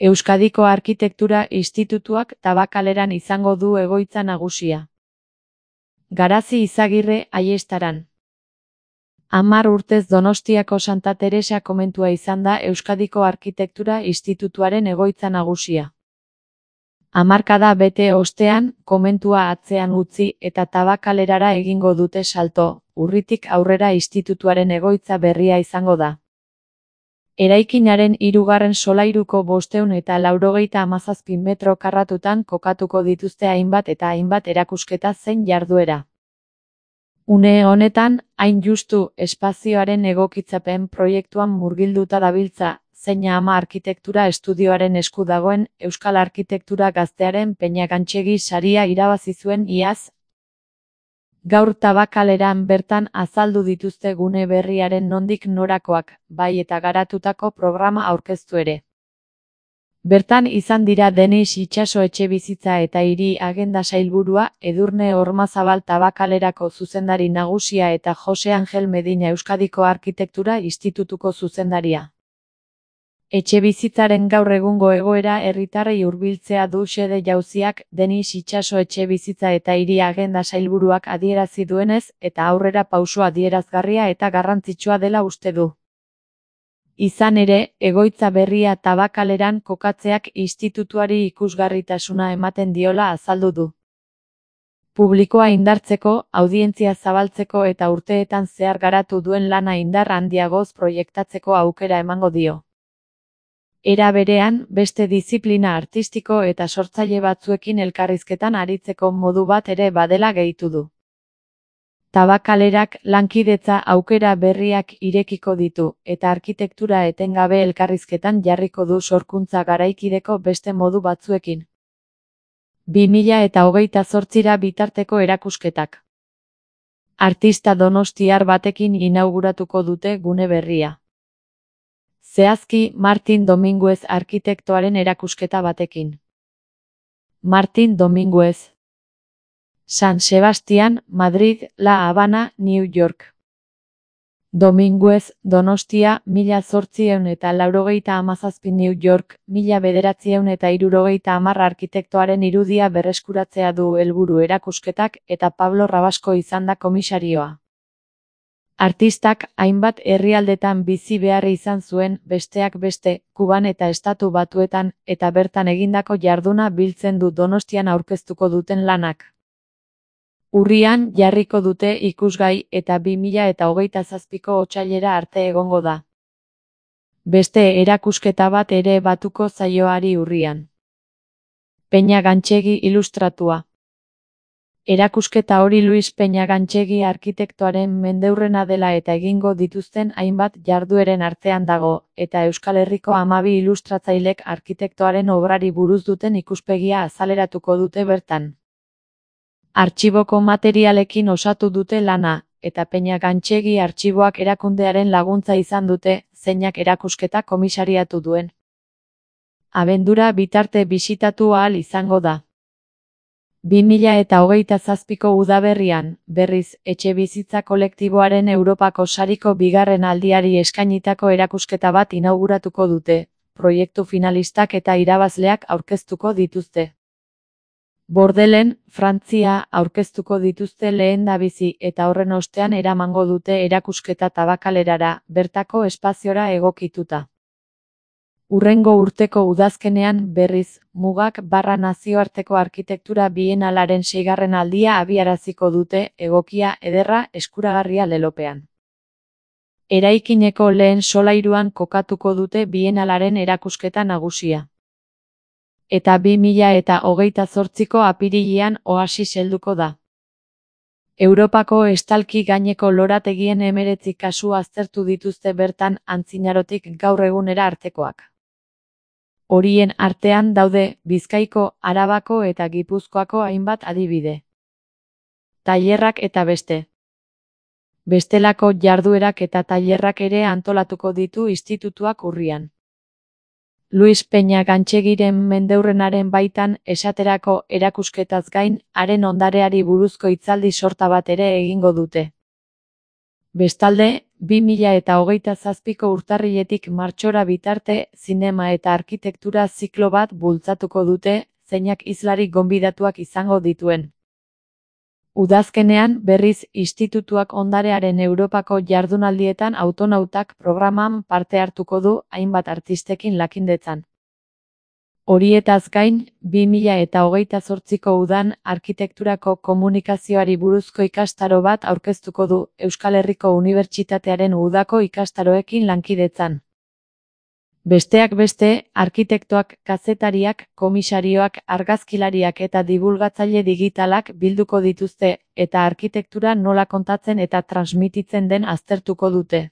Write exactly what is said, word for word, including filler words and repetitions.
Euskadiko Arkitektura Institutuak Tabakaleran izango du egoitza nagusia. Garazi Izagirre, Aiestaran. Hamar urtez Donostiako Santa Teresa komentua izan da Euskadiko Arkitektura Institutuaren egoitza nagusia. Hamarkada bete ostean, komentua atzean utzi eta Tabakalerara egingo dute salto, urritik aurrera institutuaren egoitza berria izango da. Eraikinaren hirugarren solairuko bostehun eta laurogeita hamazazpi metro karratutan kokatuko dituzte hainbat eta hainbat erakusketa zein jarduera. Une honetan, hain justu espazioaren egokitzapen proiektuan murgilduta dabiltza, zeina ama arkitektura estudioaren esku dagoen Euskal Arkitektura Gaztearen Peñagantxegi saria irabazi zuen iaz. Gaur Tabakaleran bertan azaldu dituzte gune berriaren nondik norakoak, bai eta garatutako programa aurkeztu ere. Bertan izan dira Denis Itxaso etxebizitza eta hiri agenda sailburua, Edurne Ormazabal Tabakalerako zuzendari nagusia eta Jose Angel Medina Euskadiko Arkitektura Institutuko zuzendaria. Etxebizitzaren gaur egungo egoera herritarrei hurbiltzea du xede jauziak, Denis Itxaso etxebizitza eta hiri agenda sailburuak adierazi duenez, eta aurrera pauso adierazgarria eta garrantzitsua dela uste du. Izan ere, egoitza berria Tabakaleran kokatzeak institutuari ikusgarritasuna ematen diola azaldu du. Publikoa indartzeko, audientzia zabaltzeko eta urteetan zehar garatu duen lana indar handiagoz proiektatzeko aukera emango dio. Era berean, beste diziplina artistiko eta sortzaile batzuekin elkarrizketan aritzeko modu bat ere badela gehitu du. Tabakalerak lankidetza aukera berriak irekiko ditu, eta arkitektura etengabe elkarrizketan jarriko du sorkuntza garaikideko beste modu batzuekin. bi mila eta hogeita zortzira bitarteko erakusketak. Artista donostiar batekin inauguratuko dute gune berria. Zehazki, Martin Dominguez arkitektoaren erakusketa batekin. Martin Dominguez. San Sebastian, Madrid, La Habana, New York. Dominguez, Donostia, mila zortziehun eta laurogeita hamazazpi New York, mila bederatziehun eta hirurogeita hamar arkitektoaren irudia berreskuratzea du helburu erakusketak eta Pablo Rabasko izan da komisarioa. Artistak hainbat herrialdetan bizi behar izan zuen, besteak beste, Kuban eta Estatu Batuetan, eta bertan egindako jarduna biltzen du Donostian aurkeztuko duten lanak. Urrian jarriko dute ikusgai eta bi mila eta hogeita zazpiko otsailera arte egongo da. Beste erakusketa bat ere batuko zaioari urrian. Peñagantxegi ilustratua. Erakusketa hori Luis Peñagantxegi arkitektoaren mendeurrena dela eta egingo dituzten hainbat jardueren artean dago, eta Euskal Herriko hamabi ilustratzailek arkitektoaren obrari buruz duten ikuspegia azaleratuko dute bertan. Artxiboko materialekin osatu dute lana, eta Peñagantxegi artxiboak erakundearen laguntza izan dute, zeinak erakusketa komisariatu duen. Abendura bitarte bisitatu ahal izango da. bi mila eta hogeita zazpiko udaberrian, berriz, etxebizitza kolektiboaren Europako sariko bigarren aldiari eskainitako erakusketa bat inauguratuko dute, proiektu finalistak eta irabazleak aurkeztuko dituzte. Bordelen, Frantzia, aurkeztuko dituzte lehendabizi eta horren ostean eramango dute erakusketa Tabakalerara, bertako espaziora egokituta. Urrengo urteko udazkenean, berriz, Mugak barra nazioarteko arkitektura bienalaren seigarren aldia abiaraziko dute, egokia, ederra, eskuragarria lelopean. Eraikineko lehen solairuan kokatuko dute bienalaren erakusketa nagusia. Eta bi mila eta hogeita zortziko apirilean Oasis helduko da. Europako estalki gaineko lorategien hemeretzi kasu aztertu dituzte bertan antzinarotik gaur egunera artekoak. Horien artean daude Bizkaiko, Arabako eta Gipuzkoako hainbat adibide. Tailerrak eta beste. Bestelako jarduerak eta tailerrak ere antolatuko ditu institutuak urrian. Luis Peñagantxegiren mendeurrenaren baitan, esaterako erakusketaz gain, haren ondareari buruzko hitzaldi sorta bat ere egingo dute. Bestalde, bi mila eta hogeita zazpiko urtarriletik martxora bitarte zinema eta arkitektura ziklo bat bultzatuko dute, zeinak hizlari gonbidatuak izango dituen. Udazkenean, berriz, institutuak ondarearen Europako jardunaldietan autonautak programan parte hartuko du hainbat artistekin lakindetzan. Horietaz gain, bi mila eta hogeita zortziko udan arkitekturako komunikazioari buruzko ikastaro bat aurkeztuko du Euskal Herriko Unibertsitatearen udako ikastaroekin lankidetzan. Besteak beste, arkitektoak, kazetariak, komisarioak, argazkilariak eta dibulgatzaile digitalak bilduko dituzte, eta arkitektura nola kontatzen eta transmititzen den aztertuko dute.